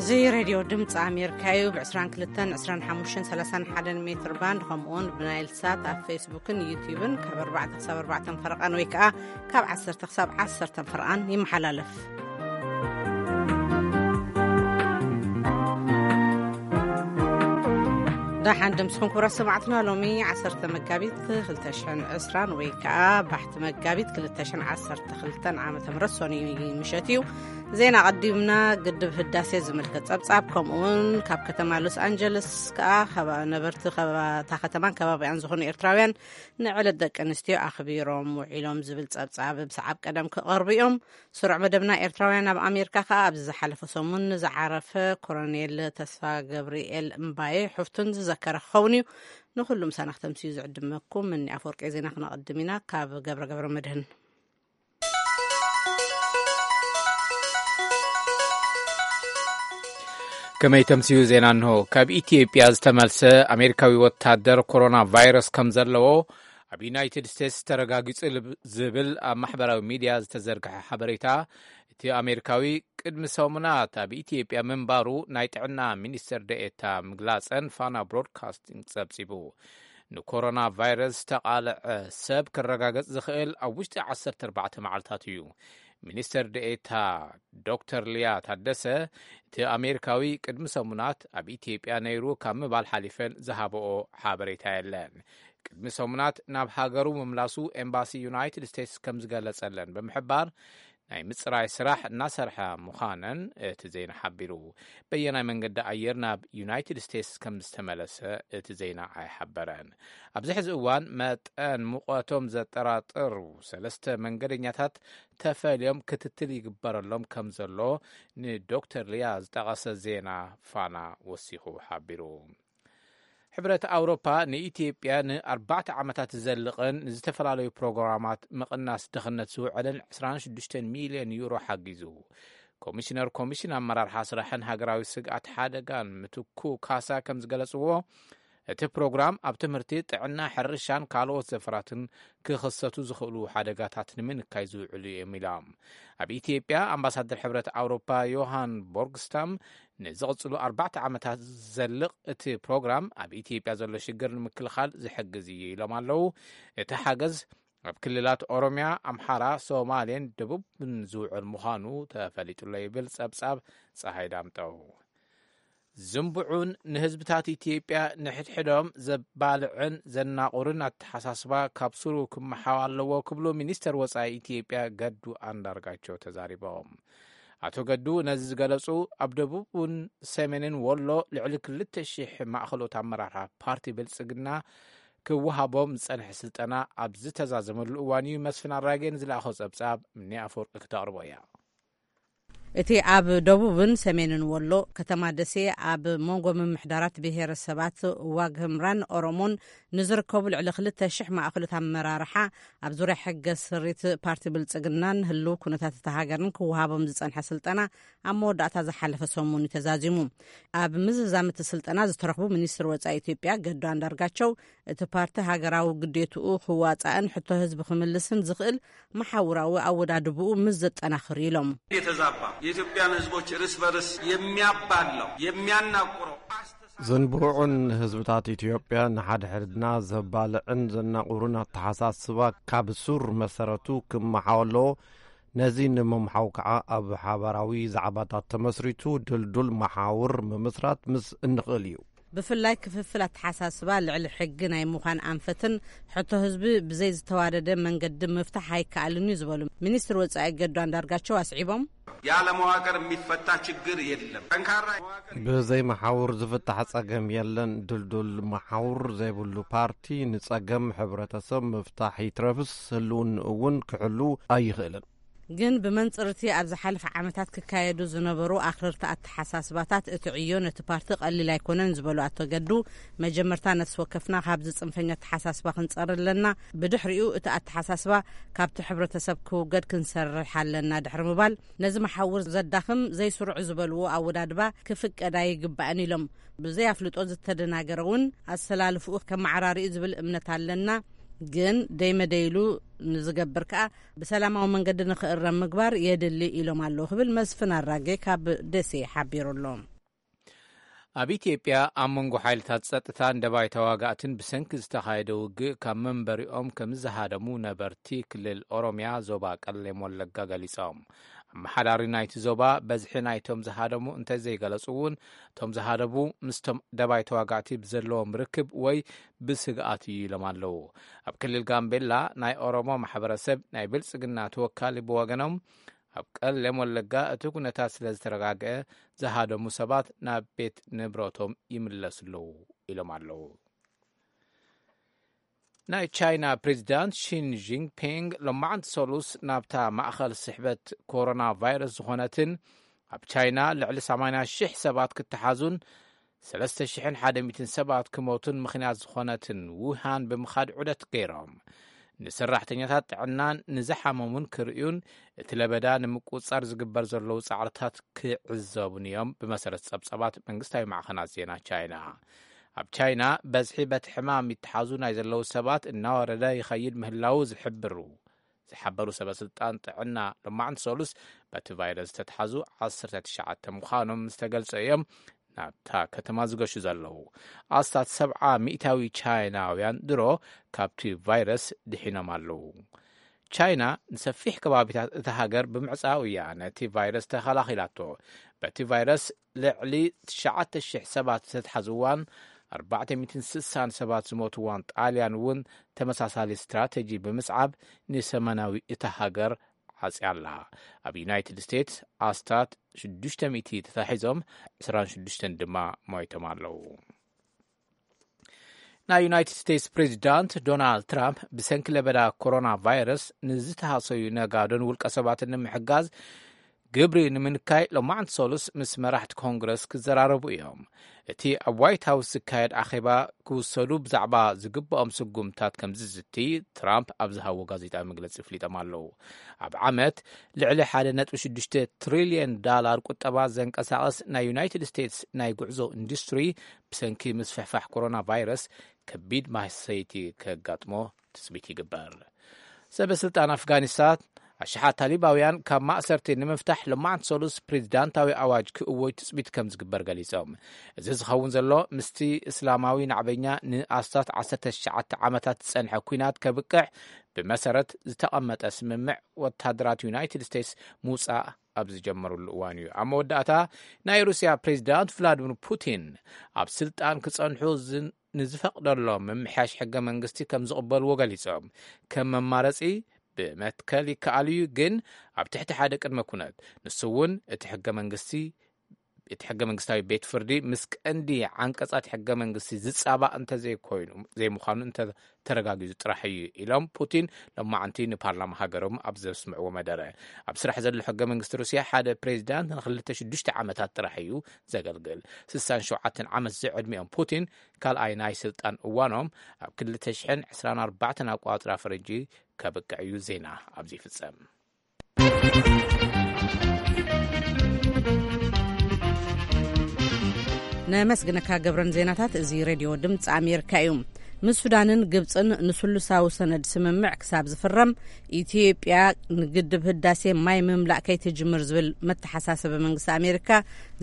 እዚ ሬድዮ ድምፂ ኣሜሪካ እዩ። ብ22፣ 25፣ 31 ሜትር ባንድ፣ ከምኡውን ብናይል ሳት ኣብ ፌስቡክን ዩቲዩብን ካብ ኣርባዕተ ክሳብ ኣርባዕተ ፈረቓን ወይ ከዓ ካብ ዓሰርተ ክሳብ ዓሰርተ ፈረቓን ይመሓላለፍ። ደሓን ድምስኹም ክቡራት ሰማዕትና፣ ሎሚ ዓሰርተ መጋቢት ክልተ ሽሕን ዕስራን ወይ ከዓ ባሕቲ መጋቢት ክልተ ሽሕን ዓሰርተ ክልተን ዓመተ ምህረት ሰኑይ ምሸት እዩ። ዜና ቀዲምና። ግድብ ህዳሴ ዝምልከት ጸብጻብ፣ ከምኡውን ካብ ከተማ ሎስ ኣንጀለስ ከኣ ከባ-፣ ነበርቲ ከባ-፣ እታ ከተማን ከባቢኣን ዝኾኑ ኤርትራውያን ንዕለት ደቂ ኣንስትዮ ኣኽቢሮም ውዒሎም ዝብል ጸብጻብ ብሰዓብ ቀደም ክቐርቡ እዮም። ስሩዕ መደብና ኤርትራውያን ኣብ ኣሜሪካ ከኣ ኣብዚ ዝሓለፈ ሰሙን ንዝዓረፈ ኮሎኔል ተስፋ ገብርኤል እምባዬ ሕፍቱን ዝዘከረ ክኸውን እዩ። ንኹሉ ምሳና ክተምስዩ ዝዕድመኩም እኒ ኣፈወርቂ ዜና ክነቐድም ኢና ካብ ገብረ ገብረ መድህን። ከመይ ተምስዩ ዜና እንሆ። ካብ ኢትዮጵያ ዝተመልሰ ኣሜሪካዊ ወታደር ኮሮና ቫይረስ ከም ዘለዎ ኣብ ዩናይትድ ስቴትስ ተረጋጊጹ ልብ-፣ ዝብል ኣብ ማሕበራዊ ሚድያ ዝተዘርግሐ ሓበሬታ፣ እቲ ኣሜሪካዊ ቅድሚ ሰሙናት ኣብ ኢትዮጵያ ምንባሩ ናይ ጥዕና ሚኒስትር ደኤታ ምግላጸን ፋና ብሮድካስቲንግ ጸብጺቡ። ንኮሮና ቫይረስ ዝተቓልዐ ሰብ ክረጋገጽ ዝኽእል ኣብ ውሽጢ ዓሰርተ ኣርባዕተ መዓልታት እዩ። ሚኒስትር ደኤታ ዶክተር ሊያ ታደሰ፣ እቲ ኣሜሪካዊ ቅድሚ ሰሙናት ኣብ ኢትዮጵያ ነይሩ ካብ ምባል ሓሊፈን ዝሃበኦ ሓበሬታ የለን። ቅድሚ ሰሙናት ናብ ሃገሩ ምምላሱ ኤምባሲ ዩናይትድ ስቴትስ ከም ዝገለጸለን ብምሕባር፣ ናይ ምጽራይ ስራሕ እናሰርሐ ምዃነን እቲ ዜና ሓቢሩ። በየናይ መንገዲ ኣየር ናብ ዩናይትድ ስቴትስ ከም ዝተመለሰ እቲ ዜና ኣይሓበረን። ኣብዚ ሕዚ እዋን መጠን ሙቐቶም ዘጠራጥሩ ሰለስተ መንገደኛታት ተፈልዮም ክትትል ይግበረሎም ከም ዘሎ ንዶክተር ሊያ ዝጠቐሰ ዜና ፋና ወሲኹ ሓቢሩ። ሕብረት ኣውሮፓ ንኢትዮጵያ ንኣርባዕተ ዓመታት ዝዘልቕን ንዝተፈላለዩ ፕሮግራማት ምቕናስ ድኽነት ዝውዕልን ዕስራን ሽዱሽተን ሚልዮን ዩሮ ሓጊዙ። ኮሚሽነር ኮሚሽን ኣመራርሓ ስራሕን ሃገራዊ ስግኣት ሓደጋን ምትኩ ካሳ ከም ዝገለጽዎ፣ እቲ ፕሮግራም ኣብ ትምህርቲ፣ ጥዕና፣ ሕርሻን ካልኦት ዘፈራትን ክኽሰቱ ዝኽእሉ ሓደጋታት ንምንካይ ዝውዕሉ እዮም ኢሎም። ኣብ ኢትዮጵያ ኣምባሳደር ሕብረት ኣውሮፓ ዮሃን ቦርግስታም ንዝቕጽሉ ኣርባዕተ ዓመታት ዝዘልቕ እቲ ፕሮግራም ኣብ ኢትዮጵያ ዘሎ ሽግር ንምክልኻል ዝሕግዝ እዩ ኢሎም ኣለዉ። እቲ ሓገዝ ኣብ ክልላት ኦሮሚያ፣ ኣምሓራ፣ ሶማሌን ደቡብን ዝውዕል ምዃኑ ተፈሊጡሎ ይብል ጸብጻብ ጸሃይ ዳምጠው። ዝንቡዑን ንህዝብታት ኢትዮጵያ ንሕድሕዶም ዘባልዕን ዘናቑርን ኣተሓሳስባ ካብ ስሩ ክመሓው ኣለዎ ክብሉ ሚኒስተር ወጻኢ ኢትዮጵያ ገዱ ኣንዳርጋቸው ተዛሪቦም። ኣቶ ገዱ ነዚ ዝገለጹ ኣብ ደቡብን ሰሜንን ወሎ ልዕሊ ክልተ ሺሕ ማእኸሎት ኣመራርሓ ፓርቲ ብልጽግና ክወሃቦም ዝጸንሐ ስልጠና ኣብ ዝተዛዘመሉ እዋን እዩ። መስፍን ኣራጌ ንዝለኣኾ ጸብጻብ እኒ ኣፈወርቂ ክተቕርቦ እያ። እቲ ኣብ ደቡብን ሰሜንን ወሎ ከተማ ደሴ ኣብ መንጎ ምምሕዳራት ብሄረሰባት ዋግ ህምራን ኦሮሞን ንዝርከቡ ልዕሊ ክልተ ሽሕ ማእኸሎት ኣመራርሓ ኣብ ዙርያ ሕገ ስሪት ፓርቲ ብልጽግናን ህልው ኩነታት እታ ሃገርን ክወሃቦም ዝጸንሐ ስልጠና ኣብ መወዳእታ ዝሓለፈ ሰሙን እዩ ተዛዚሙ። ኣብ ምዝዛም እቲ ስልጠና ዝተረኽቡ ሚኒስትር ወጻኢ ኢትዮጵያ ገዱ ኣንዳርጋቸው፣ እቲ ፓርቲ ሃገራዊ ግዴትኡ ክዋጻእን ሕቶ ህዝቢ ክምልስን ዝኽእል መሓውራዊ ኣወዳድብኡ ምስ ዘጠናኽር ኢሎም። የተዛባ የኢትዮጵያን ህዝቦች እርስ በርስ የሚያባላው የሚያናቁረው አስተሳሰብ ዝንቡዑን ህዝብታት ኢትዮጵያ ንሓድሕድና ዘባልዕን ዘናቑርን ኣተሓሳስባ ካብ ሱር መሰረቱ ክመሓው ኣለዎ። ነዚ ንምምሓው ከዓ ኣብ ሓባራዊ ዛዕባታት ተመስሪቱ ድልዱል መሓውር ምምስራት ምስ እንኽእል እዩ። ብፍላይ ክፍፍል ኣተሓሳስባ ልዕሊ ሕጊ ናይ ምዃን ኣንፈትን ሕቶ ህዝቢ ብዘይ ዝተዋደደ መንገዲ ምፍታሕ ኣይከኣልን እዩ ዝበሉ ሚኒስትር ወጻኢ ገዱ ኣንዳርጋቸው ኣስዒቦም። ያለ መዋቅር የሚፈታ ችግር የለም። ጠንካራ መዋቅር ብዘይ መሓውር ዝፍታሕ ጸገም የለን። ድልዱል መሓውር ዘይብሉ ፓርቲ ንጸገም ሕብረተሰብ ምፍታሕ ይትረፍስ ህልውንኡ እውን ክሕሉ ኣይኽእልን። ግን ብመንጽር እቲ ኣብ ዝሓለፈ ዓመታት ክካየዱ ዝነበሩ ኣኽረርቲ ኣተሓሳስባታት እቲ ዕዮ ነቲ ፓርቲ ቀሊል ኣይኮነን ዝበሉ ኣቶ ገዱ፣ መጀመርታ ነፍሲ ወከፍና ካብዚ ጽንፈኛ ኣተሓሳስባ ክንጸሪ ኣለና፣ ብድሕሪኡ እቲ ኣተሓሳስባ ካብቲ ሕብረተሰብ ክውገድ ክንሰርሕ ኣለና ድሕሪ ምባል፣ ነዚ መሓውር ዘዳኽም ዘይስሩዕ ዝበልዎ ኣወዳድባ ክፍቀድ ኣይግባእን ኢሎም። ብዘይ ኣፍልጦ ዝተደናገረ እውን ኣሰላልፍኡ ከመዓራሪ እዩ ዝብል እምነት ኣለና፣ ግን ደይመደይሉ ንዝገብር ከኣ ብሰላማዊ መንገዲ ንኽእረም ምግባር የድሊ ኢሎም ኣለዉ ክብል መስፍን ኣራጌ ካብ ደሴ ሓቢሩ ኣሎ። ኣብ ኢትዮጵያ ኣብ መንጎ ሓይልታት ጸጥታን ደባይ ተዋጋእትን ብሰንኪ ዝተኻየደ ውግእ ካብ መንበሪኦም ከም ዝሃደሙ ነበርቲ ክልል ኦሮሚያ ዞባ ቀሌም ወለጋ ገሊጾም። ኣመሓዳሪ ናይቲ ዞባ በዝሒ ናይቶም ዝሃደሙ እንተዘይገለጹ እውን፣ እቶም ዝሃደሙ ምስቶም ደባይ ተዋጋእቲ ብዘለዎም ርክብ ወይ ብስግኣት እዩ ኢሎም ኣለዉ። ኣብ ክልል ጋምቤላ ናይ ኦሮሞ ማሕበረሰብ ናይ ብልጽግና ተወካሊ ብወገኖም፣ ኣብ ቀሌም ወለጋ እቲ ኩነታት ስለ ዝተረጋግአ ዝሃደሙ ሰባት ናብ ቤት ንብረቶም ይምለሱ ኣለዉ ኢሎም ኣለዉ። ናይ ቻይና ፕሬዚዳንት ሺን ጂንፒንግ ሎማዕንቲ ሰሉስ ናብታ ማእኸል ስሕበት ኮሮና ቫይረስ ዝኾነትን ኣብ ቻይና ልዕሊ ሰማንያ ሺሕ ሰባት ክተሓዙን ሰለስተ ሽሕን ሓደ ሚእትን ሰባት ክሞቱን ምኽንያት ዝኾነትን ውሃን ብምኻድ ዑደት ገይሮም፣ ንሰራሕተኛታት ጥዕናን ንዝሓመሙን ክርእዩን እቲ ለበዳ ንምቁጽጻር ዝግበር ዘለዉ ጻዕርታት ክዕዘቡን እዮም፣ ብመሰረት ጸብጻባት መንግስታዊ ማዕኸናት ዜና ቻይና። ኣብ ቻይና በዝሒ በቲ ሕማም ይተሓዙ ናይ ዘለዉ ሰባት እናወረደ ይኸይድ ምህላዉ ዝሕብሩ ዝሓበሩ ሰበ ስልጣን ጥዕና ሎማዕንቲ ሰሉስ፣ በቲ ቫይረስ ዝተተሓዙ ዓሰርተ ትሽዓተ ምዃኖም ምስ ተገልጸ እዮም ናብታ ከተማ ዝገሹ ዘለዉ። ኣስታት ሰብዓ ሚእታዊ ቻይናውያን ድሮ ካብቲ ቫይረስ ድሒኖም ኣለዉ። ቻይና ንሰፊሕ ከባቢታት እታ ሃገር ብምዕጻው እያ ነቲ ቫይረስ ተኸላኺላቶ። በቲ ቫይረስ ልዕሊ ትሽዓተ ሽሕ ሰባት ዝተትሓዝዋን ኣርባዕተ ሚእትን ስሳን ሰባት ዝሞትዋን ጣልያን እውን ተመሳሳሊ ስትራተጂ ብምስዓብ ንሰሜናዊ እታ ሃገር ዓጽያ ኣላ። ኣብ ዩናይትድ ስቴትስ ኣስታት ሽዱሽተ ሚእቲ ተታሒዞም፣ ዕስራን ሽዱሽተን ድማ ሞይቶም ኣለዉ። ናይ ዩናይትድ ስቴትስ ፕሬዚዳንት ዶናልድ ትራምፕ ብሰንኪ ለበዳ ኮሮና ቫይረስ ንዝተሃሰዩ ነጋዶን ውልቀ ሰባትን ንምሕጋዝ ግብሪ ንምንካይ ሎማዕንቲ ሰሉስ ምስ መራሕቲ ኮንግረስ ክዘራረቡ እዮም። እቲ ኣብ ዋይት ሃውስ ዝካየድ ኣኼባ ክውሰዱ ብዛዕባ ዝግብኦም ስጉምታት ከም ዝዝቲ ትራምፕ ኣብ ዝሃቦ ጋዜጣዊ መግለጺ ኣፍሊጦም ኣለዉ። ኣብ ዓመት ልዕሊ ሓደ ነጥቢ ሽዱሽተ ትሪልየን ዳላር ቁጠባ ዘንቀሳቐስ ናይ ዩናይትድ ስቴትስ ናይ ጉዕዞ ኢንዱስትሪ ብሰንኪ ምስፍሕፋሕ ኮሮና ቫይረስ ከቢድ ማህሰይቲ ከጋጥሞ ትጽቢት ይግበር። ሰበ ስልጣን ኣፍጋኒስታን ኣሽሓት ታሊባውያን ካብ ማእሰርቲ ንምፍታሕ ሎማዕንቲ ሰሉስ ፕሬዚዳንታዊ ኣዋጅ ክእወጅ ትጽቢት ከም ዝግበር ገሊጾም። እዚ ዝኸውን ዘሎ ምስቲ እስላማዊ ናዕበኛ ንኣስታት ዓሰርተ ትሽዓተ ዓመታት ዝጸንሐ ኲናት ከብቅዕ ብመሰረት ዝተቐመጠ ስምምዕ ወታደራት ዩናይትድ ስቴትስ ምውጻእ ኣብ ዝጀመሩሉ እዋን እዩ። ኣብ መወዳእታ ናይ ሩስያ ፕሬዚዳንት ቭላድሚር ፑቲን ኣብ ስልጣን ክጸንሑ ዝን-፣ ንዝፈቕደሎም ምምሕያሽ ሕገ መንግስቲ ከም ዝቕበልዎ ገሊጾም። ከም መማረጺ ብመትከል ይከኣል እዩ፣ ግን ኣብ ትሕቲ ሓደ ቅድመ ኩነት። ንሱ እውን እቲ ሕገ መንግስቲ፣ እቲ ሕገ መንግስታዊ ቤት ፍርዲ ምስ ቀንዲ ዓንቀጻት ሕገ መንግስቲ ዝጻባእ እንተዘይኮይኑ፣ ዘይምዃኑ እንተተረጋጊጹ ጥራሕ እዩ ኢሎም ፑቲን ሎማዕንቲ ንፓርላማ ሃገሮም ኣብ ዘስምዕዎ መደረ። ኣብ ስራሕ ዘሎ ሕገ መንግስቲ ሩስያ ሓደ ፕሬዚዳንት ንክልተ ሽዱሽተ ዓመታት ጥራሕ እዩ ዘገልግል። ስሳን ሸውዓተን ዓመት ዝዕድሚኦም ፑቲን ካልኣይ ናይ ስልጣን እዋኖም ኣብ ክልተ ሽሕን ዕስራን ኣርባዕተን ኣቋጽራ ፈረንጂ ከብቅዕ እዩ። ዜና ኣብዚ ይፍጸም። ነመስግነካ ገብረን ዜናታት። እዚ ሬድዮ ድምፂ ኣሜሪካ እዩ። ምስ ሱዳንን ግብፅን ንስሉሳዊ ሰነድ ስምምዕ ክሳብ ዝፍረም ኢትዮጵያ ንግድብ ህዳሴ ማይ ምምላእ ከይትጅምር ዝብል መተሓሳሰቢ መንግስቲ ኣሜሪካ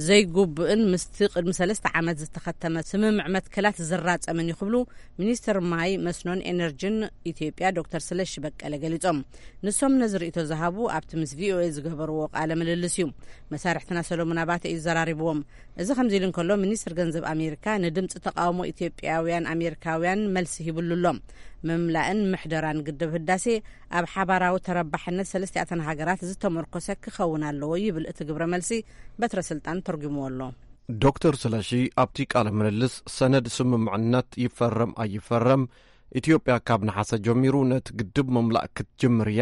ዘይጉብእን ምስቲ ቅድሚ ሰለስተ ዓመት ዝተኸተመ ስምምዕ መትከላት ዝራፀምን እዩ ክብሉ ሚኒስትር ማይ መስኖን ኤነርጂን ኢትዮጵያ ዶክተር ስለሺ በቀለ ገሊጾም። ንሶም ነዚ ርእይቶ ዝሃቡ ኣብቲ ምስ ቪኦኤ ዝገበርዎ ቃለ ምልልስ እዩ። መሳርሕትና ሰሎሞን ኣባተ እዩ ዘራሪብዎም። እዚ ከምዚ ኢሉ እንከሎ ሚኒስትር ገንዘብ ኣሜሪካ ንድምፂ ተቃውሞ ኢትዮጵያውያን ኣሜሪካውያን መልሲ ሂብሉ ኣሎ። ምምላእን ምሕደራን ግድብ ህዳሴ ኣብ ሓባራዊ ተረባሕነት ሰለስቲኣተን ሃገራት ዝተመርኮሰ ክኸውን ኣለዎ ይብል እቲ ግብረ መልሲ በትረ ስልጣን ተርጉምዎ ኣሎ። ዶክተር ስለሺ ኣብቲ ቃለ ምልልስ ሰነድ ስምምዕነት ይፈረም ኣይፈረም ኢትዮጵያ ካብ ነሓሰ ጀሚሩ ነቲ ግድብ ምምላእ ክትጅምር እያ።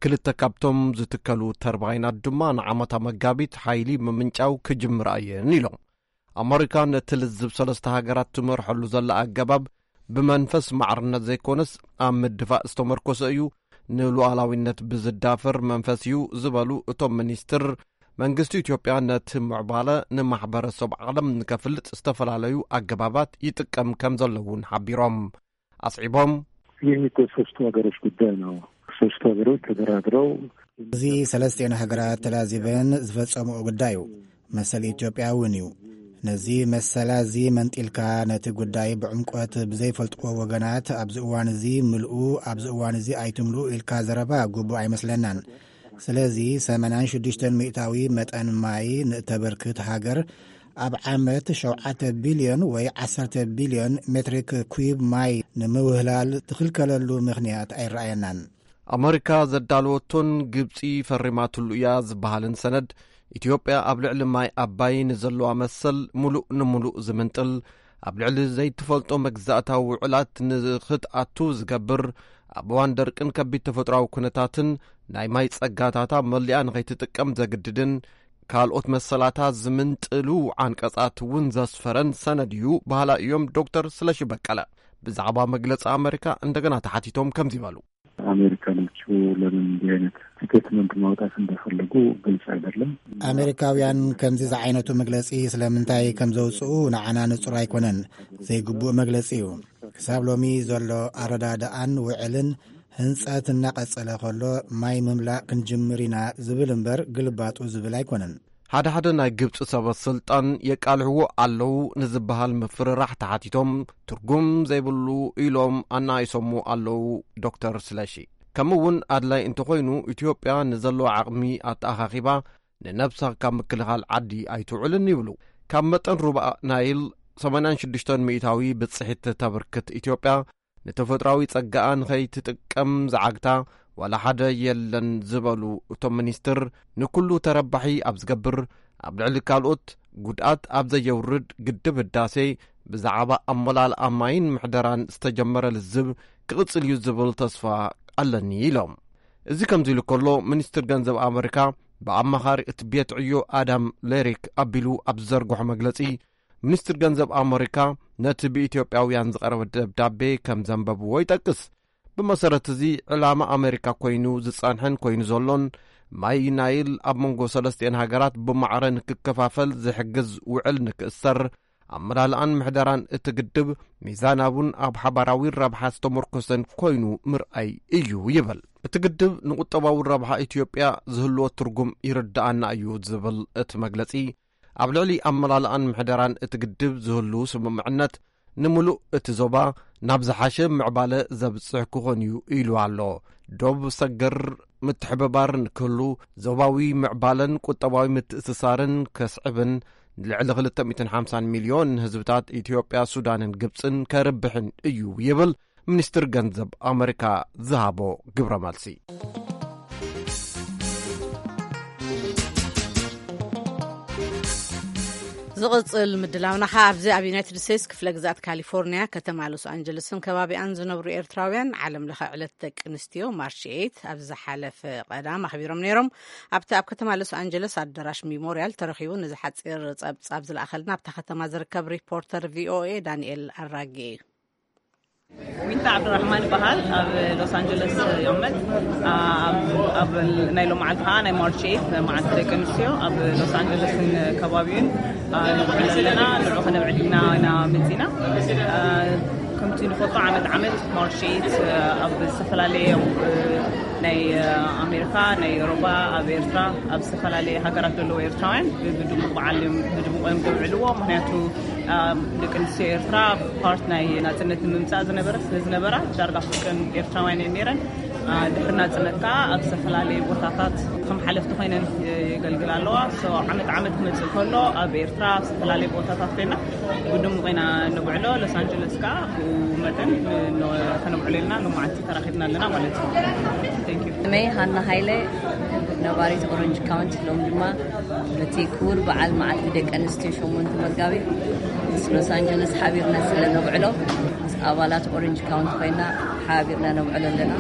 ክልተ ካብቶም ዝትከሉ ተርባይናት ድማ ንዓመታ መጋቢት ሓይሊ ምምንጫው ክጅምራ እየን ኢሎም። ኣመሪካ ነቲ ልዝብ ሰለስተ ሃገራት ትመርሐሉ ዘላ ኣገባብ ብመንፈስ ማዕርነት ዘይኮነስ ኣብ ምድፋእ ዝተመርኮሰ እዩ፣ ንሉዓላዊነት ብዝዳፈር መንፈስ እዩ ዝበሉ እቶም ሚኒስትር፣ መንግስቲ ኢትዮጵያ ነቲ ምዕባለ ንማሕበረሰብ ዓለም ንከፍልጥ ዝተፈላለዩ ኣገባባት ይጥቀም ከም ዘሎ እውን ሓቢሮም። ኣስዒቦም፣ ይህ እኮ ሶስቱ ሀገሮች ጉዳይ ነው። ሶስቱ ሀገሮች ተደራድረው እዚ ሰለስቲኤን ሃገራት ተላዚበን ዝፈጸምኦ ጉዳይ እዩ። መሰል ኢትዮጵያ እውን እዩ። ነዚ መሰላ እዚ መንጢልካ ነቲ ጉዳይ ብዕምቆት ብዘይፈልጥዎ ወገናት ኣብዚ እዋን እዚ ምልኡ፣ ኣብዚ እዋን እዚ ኣይትምልኡ ኢልካ ዘረባ ግቡእ ኣይመስለናን። ስለዚ ሰማንያን ሽዱሽተን ሚእታዊ መጠን ማይ ንእተበርክት ሃገር ኣብ ዓመት ሸውዓተ ቢልዮን ወይ ዓሰርተ ቢልዮን ሜትሪክ ኩብ ማይ ንምውህላል ትኽልከለሉ ምኽንያት ኣይረኣየናን። ኣመሪካ ዘዳለወቶን ግብጺ ፈሪማትሉ እያ ዝበሃልን ሰነድ፣ ኢትዮጵያ ኣብ ልዕሊ ማይ ኣባይ ንዘለዋ መሰል ምሉእ ንምሉእ ዝምንጥል፣ ኣብ ልዕሊ ዘይትፈልጦ መግዛእታዊ ውዕላት ንኽትኣቱ ዝገብር፣ ኣብ እዋን ደርቅን ከቢድ ተፈጥሮኣዊ ኩነታትን ናይ ማይ ጸጋታታ መሊኣ ንኸይትጥቀም ዘግድድን ካልኦት መሰላታ ዝምንጥሉ ዓንቀጻት እውን ዘስፈረን ሰነድ እዩ በሃላ እዮም ዶክተር ስለሺ በቀለ። ብዛዕባ መግለጺ ኣመሪካ እንደገና ተሓቲቶም ከምዚ በሉ። አሜሪካኖቹ ለምን እንዲህ አይነት ስቴትመንት ማውጣት እንደፈለጉ ግልጽ አይደለም። ኣሜሪካውያን ከምዚ ዝዓይነቱ መግለጺ ስለምንታይ ከም ዘውጽኡ ንዓና ንጹር ኣይኮነን። ዘይግቡእ መግለጺ እዩ። ክሳብ ሎሚ ዘሎ ኣረዳድኣን ውዕልን ህንጸት እናቐጸለ ከሎ ማይ ምምላእ ክንጅምር ኢና ዝብል እምበር ግልባጡ ዝብል ኣይኮነን። ሓደ ሓደ ናይ ግብጺ ሰበ ስልጣን የቃልሕዎ ኣለዉ ንዝበሃል ምፍርራሕ ተሓቲቶም ትርጉም ዘይብሉ ኢሎም ኣናይሶሞ ኣለዉ ዶክተር ስለሺ። ከምኡ እውን ኣድላይ እንተኾይኑ ኢትዮጵያ ንዘለዋ ዓቕሚ ኣተኣኻኺባ ንነብሳ ካብ ምክልኻል ዓዲ ኣይትውዕልን ይብሉ። ካብ መጠን ሩባ ናይል ሰማንያን ሽዱሽተን ሚእታዊ ብጽሒት ተብርክት ኢትዮጵያ ንተፈጥሮኣዊ ጸጋኣ ንኸይትጥቀም ዝዓግታ ዋላ ሓደ የለን ዝበሉ እቶም ሚኒስትር፣ ንኩሉ ተረባሒ ኣብ ዝገብር፣ ኣብ ልዕሊ ካልኦት ጉድኣት ኣብ ዘየውርድ ግድብ ህዳሴ ብዛዕባ ኣመላልኣ ማይን ምሕደራን ዝተጀመረ ልዝብ ክቕጽል እዩ ዝብል ተስፋ ኣለኒ ኢሎም። እዚ ከምዚ ኢሉ ከሎ፣ ሚኒስትር ገንዘብ ኣመሪካ ብኣማኻሪ እቲ ቤት ዕዮ ኣዳም ሌሪክ ኣቢሉ ኣብ ዝዘርግሖ መግለጺ፣ ሚኒስትር ገንዘብ ኣመሪካ ነቲ ብኢትዮጵያውያን ዝቐረበ ደብዳቤ ከም ዘንበብዎ ይጠቅስ። ብመሰረት እዚ፣ ዕላማ ኣመሪካ ኮይኑ ዝጸንሐን ኮይኑ ዘሎን፣ ማይ ናይል ኣብ መንጎ ሰለስቲኤን ሃገራት ብማዕረ ንክከፋፈል ዝሕግዝ ውዕል ንክእሰር፣ ኣመላልኣን ምሕደራን እቲ ግድብ ሚዛናውን ኣብ ሓባራዊ ረብሓ ዝተመርኮሰን ኮይኑ ምርኣይ እዩ ይብል። እቲ ግድብ ንቁጠባዊ ረብሓ ኢትዮጵያ ዝህልዎ ትርጉም ይርድኣና እዩ ዝብል እቲ መግለጺ፣ ኣብ ልዕሊ ኣመላልኣን ምሕደራን እቲ ግድብ ዝህሉ ስምምዕነት፣ ንምሉእ እቲ ዞባ ናብ ዝሓሸ ምዕባለ ዘብጽሕ ክኾን እዩ ኢሉ ኣሎ። ዶብ ሰገር ምትሕብባር ንክህሉ፣ ዞባዊ ምዕባለን ቁጠባዊ ምትእስሳርን ከስዕብን፣ ልዕሊ ክልተ ሚእትን ሓምሳን ሚልዮን ህዝብታት ኢትዮጵያ፣ ሱዳንን ግብጽን ከርብሕን እዩ ይብል ሚኒስትር ገንዘብ ኣመሪካ ዝሃቦ ግብረ መልሲ። ዝቕጽል ምድላውና ኸኣ ኣብዚ ኣብ ዩናይትድ ስቴትስ ክፍለ ግዛት ካሊፎርኒያ ከተማ ሎስ ኣንጀለስን ከባቢኣን ዝነብሩ ኤርትራውያን ዓለም ለኸ ዕለት ደቂ ኣንስትዮ ማርች ኤይት ኣብ ዝሓለፈ ቀዳም ኣኽቢሮም ነይሮም። ኣብቲ ኣብ ከተማ ሎስ ኣንጀለስ ኣዳራሽ ሚሞርያል ተረኺቡ ንዝሓጺር ጸብጻብ ዝለኣኸልና ኣብታ ከተማ ዝርከብ ሪፖርተር ቪኦኤ ዳንኤል ኣራጌ እዩ። ዊንታ ዓብዱራሕማን ይበሃል። ኣብ ሎስ ኣንጀለስ ይቕመጥ። ኣብ ናይ ሎም መዓልቲ ከዓ ናይ ማርች ኤይት መዓልቲ ደቂ ኣንስትዮ ኣብ ሎስ ኣንጀለስን ከባቢውን ንብዕል ኣለና። ንዑ ከነብዕል ኢልና ኢና መፂና። ከምቲ ንፈልጦ ዓመት ዓመት ማርች ኤይት ኣብ ዝተፈላለየ ናይ ኣሜሪካ፣ ናይ ኤውሮጳ፣ ኣብ ኤርትራ፣ ኣብ ዝተፈላለየ ሃገራት ዘለዉ ኤርትራውያን ብድሙቕ በዓል እዮም ብድሙቕ እዮም ዘብዕልዎ። ምክንያቱ ደቂ ኣንስትዮ ኤርትራ ፓርት ናይ ናፅነት ንምምፃእ ዝነበረ ስለ ዝነበራ ዳርጋ ፍርቀን ኤርትራውያን እየን ነይረን። ድሕሪ ናፅነት ከዓ ኣብ ዝተፈላለዩ ቦታታት ከም ሓለፍቲ ኮይነን የገልግላ ኣለዋ። ዓመት ዓመት ክመፅእ ከሎ ኣብ ኤርትራ ኣብ ዝተፈላለየ ቦታታት ኮይና ብድሙቕ ኢና ነብዕሎ። ሎስ ኣንጀለስ ከዓ ብኡ መጠን ከነብዕሎ ኢልና ሎማዓንቲ ተራኺብና ኣለና ማለት እዩ። ስመይ ሃና ሃይለ፣ ነባሪት ኦረንጅ ካውንቲ። ሎም ድማ በቲ ክቡር በዓል መዓልቲ ደቂ ኣንስትዮ ሸሞንተ መጋቢት ምስ ሎስ ኣንጀለስ ሓቢርና ስለ ነብዕሎ ምስ ኣባላት ኦረንጅ ካውንቲ ኮይና ሓቢርና ነብዕሎ ኣለና።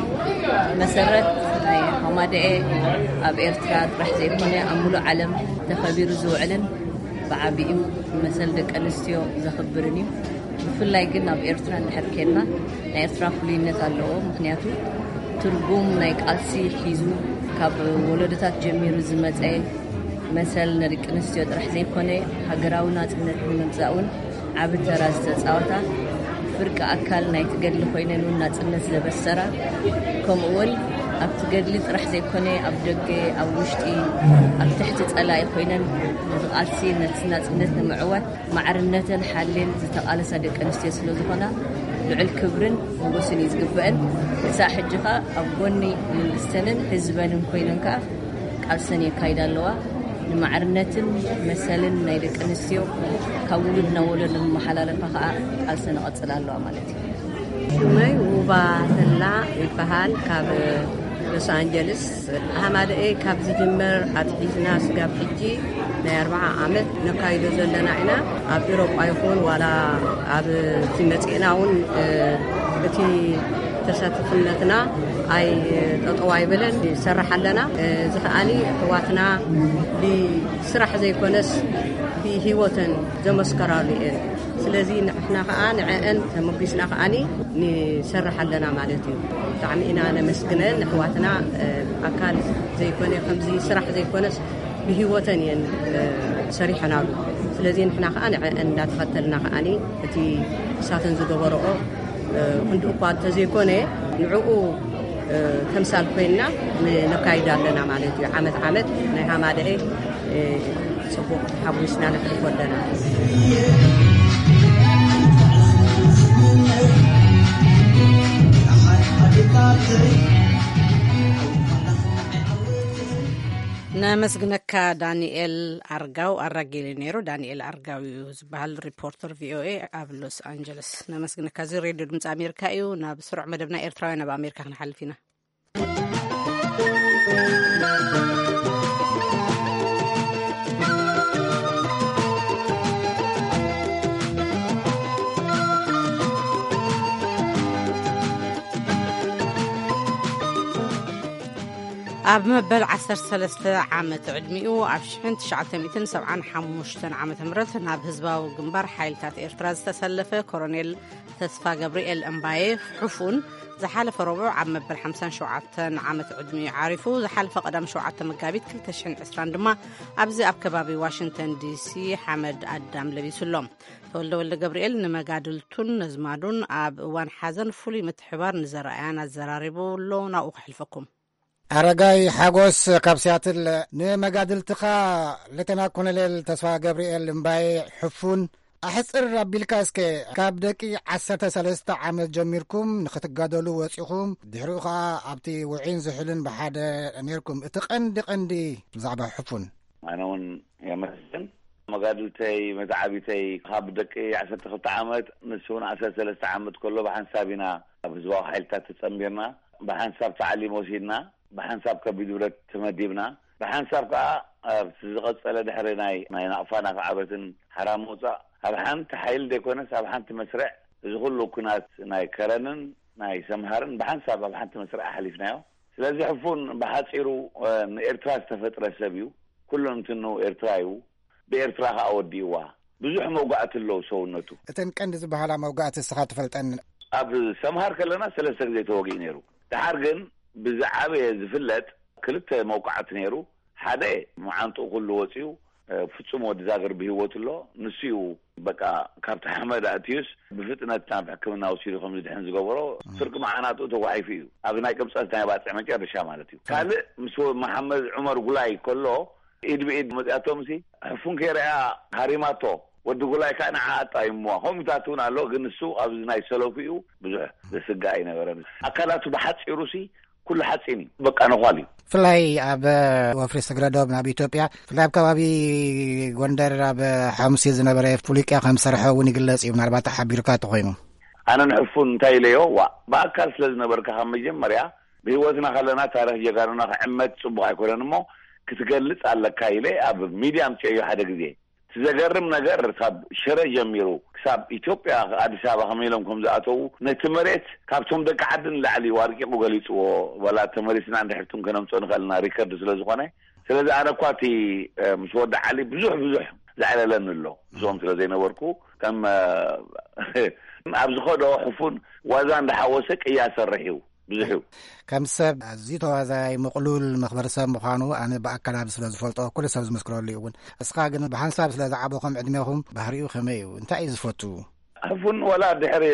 መሰረት ናይ ሃማደኤ ኣብ ኤርትራ ጥራሕ ዘይኮነ ኣብ ሙሉእ ዓለም ተኸቢሩ ዝውዕልን ብዓቢኡ መሰል ደቂ ኣንስትዮ ዘኽብርን እዩ። ብፍላይ ግን ኣብ ኤርትራ እንድሕር ኬድና ናይ ኤርትራ ፍሉይነት ኣለዎ። ምክንያቱ ትርጉም ናይ ቃልሲ ሒዙ ካብ ወለዶታት ጀሚሩ ዝመፀ መሰል ንደቂ ኣንስትዮ ጥራሕ ዘይኮነ ሃገራዊ ናፅነት ንምምፃእ እውን ዓቢ ተራ ዝተፃወታ፣ ፍርቂ ኣካል ናይቲ ገድሊ ኮይነን እውን ናፅነት ዘበሰራ፣ ከምኡ እውን ኣብቲ ገድሊ ጥራሕ ዘይኮነ፣ ኣብ ደገ፣ ኣብ ውሽጢ፣ ኣብ ትሕቲ ጸላኢ ኮይነን ነዚ ቃልሲ፣ ነቲ ናጽነት ንምዕዋት ማዕርነተን ሓልየን ዝተቓለሳ ደቂ ኣንስትዮ ስለ ዝኾና፣ ልዑል ክብርን ሞገስን እዩ ዝግበአን። ክሳዕ ሕጂ ኸኣ ኣብ ጎኒ መንግስተንን ህዝበንን ኮይነን ከኣ ቃልሰን የካይዳ ኣለዋ። ንማዕርነትን መሰልን ናይ ደቂ ኣንስትዮ ካብ ውሉድ ናብ ወለዶ ንመሓላለፋ ከኣ ቃልሰን ይቐጽላ ኣለዋ ማለት እዩ። ሽመይ ውባ ተላ ይበሃል። ካብ ሎስ ኣንጀልስ። ሃማደኤ ካብ ዝጅምር ኣትሒዝና ስጋብ ሕጂ ናይ ኣርብዓ ዓመት ነካይዶ ዘለና ኢና። ኣብ ኤውሮጳ ይኹን ዋላ ኣብ እቲ መጽእና እውን፣ እ፣ እቲ ተሳትፍነትና ኣይ ጠጠው ኣይበለን፣ ይሰርሕ ኣለና። እዚ ከኣኒ ኣሕዋትና ብስራሕ ዘይኮነስ ብህይወተን ዘመስከራሉ እየን። ስለዚ ንሕና ከኣ ንዐአን ተመጒስና ከኣኒ ንሰርሕ ኣለና ማለት እዩ። ብጣዕሚ ኢና ነመስግነን ኣሕዋትና፣ እ፣ ኣካል ዘይኮነ፣ ከምዚ ስራሕ ዘይኮነስ ብህይወተን እየን፣ እ፣ ሰሪሐናሉ። ስለዚ ንሕና ከኣ ንዐአን እንዳተኸተልና ከኣኒ እቲ እሳተን ዝገበረኦ፣ እ፣ ክንዲ እኳ እንተዘይኮነ ንዕኡ፣ እ፣ ተምሳል ኮይንና ን-፣ ነካይድ ኣለና ማለት እዩ። ዓመት ዓመት ናይ ሃማደኤ፣ እ፣ ጽቡቕ ሓጒስና ነሕልፎ ኣለና። ነመስግነካ ዳንኤል ኣርጋው። ኣራጊሉ ነይሩ። ዳንኤል ኣርጋው እዩ ዝበሃል፣ ሪፖርተር ቪ ኦ ኤ ኣብ ሎስ ኣንጀለስ። ነመስግነካ። እዚ ሬድዮ ድምፂ ኣሜሪካ እዩ። ናብ ስሩዕ መደብና ኤርትራውያን ኣብ ኣሜሪካ ክንሓልፍ ኢና። ኣብ መበል ዓሰርተ ሰለስተ ዓመት ዕድሚኡ ኣብ ሽሕን ትሽዓተ ሚእትን ሰብዓን ሓሙሽተን ዓመተ ምህረት ናብ ህዝባዊ ግንባር ሓይልታት ኤርትራ ዝተሰለፈ ኮሎኔል ተስፋ ገብርኤል እምባዬ ሕፉን ዝሓለፈ ረቡዕ ኣብ መበል ሓምሳን ሸውዓተን ዓመት ዕድሚኡ ዓሪፉ። ዝሓለፈ ቀዳም ሸውዓተ መጋቢት ክልተ ሽሕን ዕስራን ድማ ኣብዚ ኣብ ከባቢ ዋሽንግተን ዲ ሲ ሓመድ ኣዳም ለቢሱ ኣሎ። ተወልደ ወልደ ገብርኤል ንመጋድልቱን ነዝማዱን ኣብ እዋን ሓዘን ፍሉይ ምትሕባር ንዘረኣያን ኣዘራሪቡ ኣሎ። ናብኡ ከሕልፈኩም። ኣረጋይ ሓጎስ ካብ ሲያትል፣ ንመጋድልትኻ ሌተና ኮሎኔል ተስፋ ገብርኤል እምባዬ ሕፉን ኣሕጽር ኣቢልካ እስከ፣ ካብ ደቂ ዓሰርተ ሰለስተ ዓመት ጀሚርኩም ንኽትጋደሉ ወጺኹም፣ ድሕሪኡ ኸኣ ኣብቲ ውዒን ዝሑልን ብሓደ ኔርኩም። እቲ ቀንዲ ቀንዲ ብዛዕባ ሕፉን። ኣነ እውን የመስግን። መጋድልተይ፣ መተዓቢተይ ካብ ደቂ ዓሰርተ ክልተ ዓመት፣ ንሱ እውን ዓሰርተ ሰለስተ ዓመት ከሎ ብሓንሳብ ኢና ኣብ ህዝባዊ ሓይልታት ተጸንቢርና፣ ብሓንሳብ ታዕሊም ወሲድና፣ ብሓንሳብ ከቢድ ብረት ተመዲብና፣ ብሓንሳብ ከኣ ኣብቲ ዝቐጸለ ድሕሪ ናይ፣ ናይ ናቕፋ እናተዓበትን ሓራ ምውጻእ፣ ኣብ ሓንቲ ሓይሊ ዘይኮነስ ኣብ ሓንቲ መስርዕ እዚ ኩሉ ኩናት ናይ ከረንን ናይ ሰምሃርን ብሓንሳብ ኣብ ሓንቲ መስርዕ ኣሕሊፍናዮ። ስለዚ ሕፉን ብሓጺሩ፣ እ፣ ንኤርትራ ዝተፈጥረ ሰብ እዩ። ኩሉ እንትኑ ኤርትራ እዩ። ብኤርትራ ከኣ ወዲእዋ። ብዙሕ መውጋእቲ ኣለዉ ሰውነቱ። እተን ቀንዲ ዝበሃላ መውጋእቲ እስኻ ትፈልጠን? ኣብ ሰምሃር ከለና ሰለስተ ግዜ ተወጊኡ ነይሩ። ደሓር ግን ብዝዓበየ ዝፍለጥ ክልተ መውቃዕቲ ነይሩ። ሓደ መዓንጥኡ ኩሉ ወጺኡ፣ እ፣ ፍጹም ወዲ ዛግር ብህይወት ኣሎ። ንሱ እዩ በቃ ካብቲ ሓመድ ኣእትዩስ ብፍጥነት ናብ ሕክምና ወሲዱ ከም ዝድሕን ዝገበሮ። ፍርቂ መዓናጥኡ ተጓሒፉ እዩ። ኣብ ናይ ቅብጸት ናይ ባጽዕ መጨረሻ ማለት እዩ። ካልእ ምስ ወ-፣ መሓመድ ዑመር ጉላይ ከሎ ኢድ ብኢድ መጺኣቶም ሲ ሕፉን ከይረኣያ ሃሪማቶ። ወዲ ጉላይ ከኣ ንዓ ኣጣይምዋ። ከምኡታት እውን ኣሎ፣ ግን ንሱ ኣብዚ ናይ ሰለፉ እዩ፣ ብዙሕ ዘስግእ ኣይነበረን። ኣካላቱ ብሓጺሩ ሲ ኩሉ ሓጺን እዩ፣ በቃ ነዃል እዩ። ብፍላይ ኣብ ወፍሪ ስግረዶብ ናብ ኢትዮጵያ፣ ብፍላይ ኣብ ከባቢ ጎንደር ኣብ ሓሙሲ ዝነበረ ፍሉይ ቅያ ከም ዝሰርሐ እውን ይግለጽ እዩ። ምናልባት ሓቢርካ ተኾይኑ። ኣነ ንሕፉን እንታይ ኢለዮ፣ ዋ፣ ብኣካል ስለ ዝነበርካ ካብ መጀመርያ ብህይወትና ከለና ታሪኽ ጀጋኑና ክዕመት ጽቡቕ ኣይኮነን እሞ ክትገልጽ ኣለካ ኢለ ኣብ ሚድያ ኣምጽኤዮ ሓደ ግዜ። እቲ ዘገርም ነገር ካብ ሽረ ጀሚሩ ክሳብ ኢትዮጵያ ኣዲስ ኣበባ ከመይ ኢሎም ከም ዝኣተዉ ነቲ መሬት ካብቶም ደቂ ዓዲ ንላዕሊ እዩ ኣርቂቑ ገሊጽዎ። ዋላ ተመሊስና እንድሕር ትም ከነምጽኦ ንኽእል ኢና ሪከርድ ስለ ዝኾነ። ስለዚ ኣነ እኳ እቲ፣ እ፣ ምስ ወዲ ዓሊ ብዙሕ ብዙሕ ዘዕለለኒ ኣሎ። ምስኦም ስለ ዘይነበርኩ ከም፣ እ፣ ኣብ ዝኸዶ ሕፉን ዋዛ እንዳሓወሰ ቅያ ሰርሕ እዩ። ብዙሕ እዩ። ከም ሰብ ኣዝዩ ተዋዛያይ፣ ምቕሉል፣ መኽበሪ ሰብ ምዃኑ ኣነ ብኣካል ኣብ ስለ ዝፈልጦ ኩሉ ሰብ ዝምስክረሉ እዩ እውን። እስኻ ግን ብሓንሳብ ስለ ዝዓበኹም ዕድሜኹም ባህሪኡ ከመይ እዩ? እንታይ እዩ ዝፈቱ? ሕፉን ዋላ ድሕሪ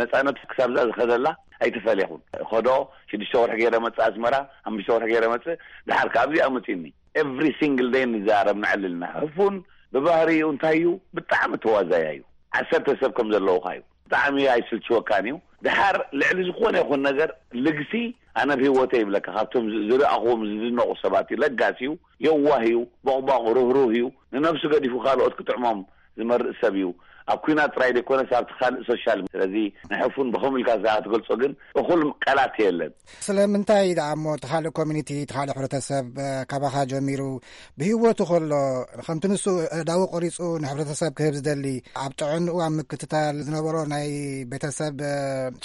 ነጻነት ክሳብ እዛ ዝኸደላ ኣይትፈልየኹን። ኸዶ ሽዱሽተ ወርሒ ገይረ መጽእ ኣስመራ፣ ሓሙሽተ ወርሒ ገይረ መጽእ፣ ድሓር ካብዚ ኣመጺኒ። ኤቭሪ ሲንግል ደይ ንዛረብ፣ ንዕልልና። ሕፉን ብባህሪኡ እንታይ እዩ? ብጣዕሚ ተዋዛያ እዩ። ዓሰርተ ሰብ ከም ዘለውኻ እዩ። ብጣዕሚ ኣይስልችወካን እዩ። ድሓር ልዕሊ ዝኾነ ይኹን ነገር ልግሲ ኣነ ብህይወተይ ይብለካ፣ ካብቶም ዝ-፣ ዝረኣኹዎም ዝድነቑ ሰባት እዩ። ለጋስ እዩ፣ የዋህ እዩ፣ ቦቕቧቕ ርህሩህ እዩ። ንነብሱ ገዲፉ ካልኦት ክጥዕሞም ዝመርእ ሰብ እዩ። ኣብ ኲናት ጥራይ ዘይኮነስ ኣብቲ ካልእ ሶሻል። ስለዚ ንሕፉን ብኸምኡ ኢልካ ክትገልጾ ግን እኹል ቃላት የለን። ስለምንታይ ደኣ እሞ እቲ ካልእ ኮሚኒቲ፣ እቲ ካልእ ሕብረተሰብ፣ እ፣ ካባኻ ጀሚሩ ብህይወቱ ከሎ፣ ከምቲ ንሱ ኣእዳዉ ቆሪጹ ንሕብረተሰብ ክህብ ዝደሊ፣ ኣብ ጥዕንኡ ኣብ ምክትታል ዝነበሮ ናይ ቤተሰብ፣ እ፣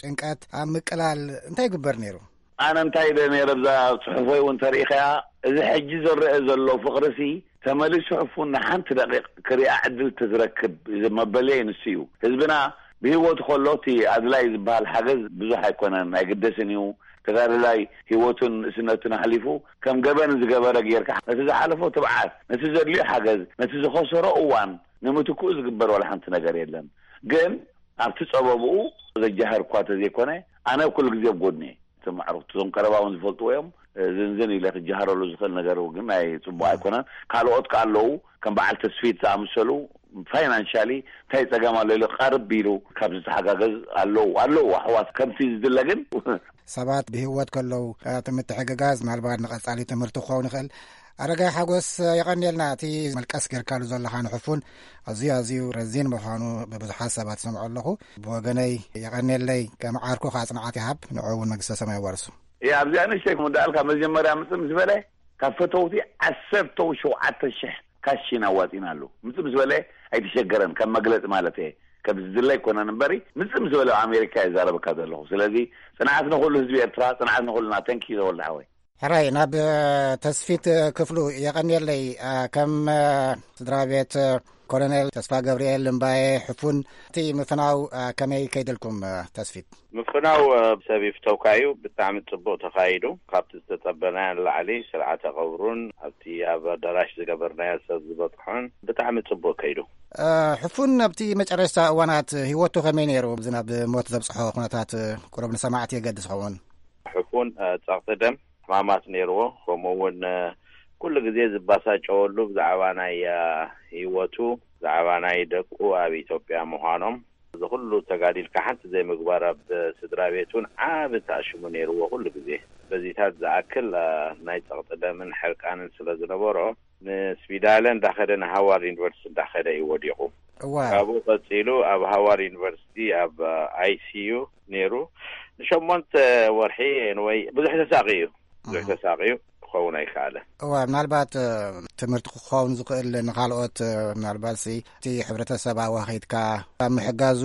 ጭንቀት ኣብ ምቅላል እንታይ ይግበር ነይሩ? ኣነ እንታይ ኢለ ነይረ ኣብዛ ጽሑፈይ እውን ተሪኢኻያ፣ እዚ ሕጂ ዝረአ ዘሎ ፍቕሪሲ ተመሊሱ ሕፉን ንሓንቲ ደቂቕ ክሪኣ ዕድል ተዝረክብ መበለይ ንሱ እዩ። ህዝብና ብህይወቱ ከሎ እቲ ኣድላይ ዝበሃል ሓገዝ ብዙሕ ኣይኮነን፣ ኣይግደስን እዩ። ተጋዳላይ ህይወቱን ንእስነቱን ኣሕሊፉ ከም ገበን ዝገበረ ጌርካ ነቲ ዝሓለፎ ትብዓት፣ ነቲ ዘድልዮ ሓገዝ፣ ነቲ ዝኸሰሮ እዋን ንምትክኡ ዝግበር ዋላ ሓንቲ ነገር የለን። ግን ኣብቲ ጸበብኡ ዘጃህር እኳ ተዘይኮነ ኣነ ኩሉ ግዜ ኣብ ጎድኑ እየ። እቶም ኣዕሩኽቲ እዞም ቀረባ እውን ዝፈልጥዎ እዮም። ዝንዝን ኢለ ክጀሃረሉ ዝኽእል ነገር ግን ናይ ጽቡቕ ኣይኮነን። ካልኦት ከ ኣለዉ፣ ከም በዓል ተስፊት ዝኣመሰሉ ፋይናንሻሊ እንታይ ጸገም ኣሎ ኢሉ ቀርብ ኢሉ ካብ ዝተሓጋገዝ ኣለዉ፣ ኣለዉ ኣሕዋት ከምቲ ዝድለ ግን ሰባት ብህይወት ከለዉ እቲ ምትሕግጋዝ ምናልባት ንቐጻሊ ትምህርቲ ክኸውን ይኽእል። ኣረጋይ ሓጎስ የቐንየልና እቲ መልቀስ ጌርካሉ ዘለኻ ንሕፉን ኣዝዩ ኣዝዩ ረዚን ምዃኑ ብብዙሓት ሰባት ሰምዖ ኣለኹ። ብወገነይ የቐንየለይ፣ ከም ዓርኩ ከዓ ጽንዓት ይሃብ፣ ንዕኡ እውን መንግስተ ሰማይ የዋርሱ። እያ ኣብዚኣ ንእሽተይ ክምዳኣልካ መጀመርያ ምጽእ ምስ በለ ካብ ፈተውቲ ዓሰርተ ሸውዓተ ሽሕ ካሽ ኢና ኣዋጺናሉ። ምጽእ ምስ በለ ኣይተሸገረን፣ ከም መግለጺ ማለት እየ። ከም ዝድለ ኣይኮነን እምበሪ ምጽእ ምስ በለ ኣብ ኣሜሪካ ይዛረበካ ዘለኹ። ስለዚ ጽንዓት ንኹሉ ህዝቢ ኤርትራ፣ ጽንዓት ንኹልና። ተንኪ ዘወልደ ሓወይ። ሕራይ ናብ ተስፊት ክፍሉ የቐንየለይ። ከም ስድራ ቤት ኮሎኔል ተስፋ ገብርኤል እምባየ ሕፉን እቲ ምፍናው ከመይ ከይደልኩም ተስፊት? ምፍናው ሰብ ይፍተውካ እዩ። ብጣዕሚ ጽቡቕ ተኻይዱ። ካብቲ ዝተጸበናዮ ንላዕሊ ስርዓተ ቀብሩን ኣብቲ ኣብ ኣዳራሽ ዝገበርናዮ ሰብ ዝበጽሖን ብጣዕሚ ጽቡቕ ከይዱ። ሕፉን ኣብቲ መጨረሽታ እዋናት ህይወቱ ከመይ ነይሩ? እዚ ናብ ሞት ዘብጽሖ ኩነታት ቁሩብ ንሰማዕቲ የገድስ ኸውን። ሕፉን ጸቕጢ ደም ሕማማት ነይርዎ። ከምኡ እውን ኩሉ ግዜ ዝባሳጨወሉ ብዛዕባ ናይ ህይወቱ፣ ብዛዕባ ናይ ደቁ ኣብ ኢትዮጵያ ምዃኖም፣ እዚ ኩሉ ተጋዲልካ ሓንቲ ዘይምግባር ኣብ ስድራ ቤት እውን ዓቢ ተኣሽሙ ነይርዎ። ኩሉ ግዜ በዚታት ዝኣክል ናይ ጸቕጢ ደምን ሕርቃንን ስለ ዝነበሮ ንስዊዳለ እንዳኸደ ንሃዋርድ ዩኒቨርሲቲ እንዳኸደ እዩ ወዲቑ። እዋ። ካብኡ ቀጺሉ ኣብ ሃዋርድ ዩኒቨርሲቲ ኣብ ኣይሲዩ ነይሩ ንሸሞንተ ወርሒ። ኤንወይ ብዙሕ ተሳቒ እዩ። ብዙሕ ተሳቒ እዩ። ክኸውን ኣይከኣለ። እዋ፣ ምናልባት ትምህርቲ ክኸውን ዝኽእል ንኻልኦት፣ ምናልባት ሲ እቲ ሕብረተሰብ ኣዋኺድካ ኣብ ምሕጋዙ፣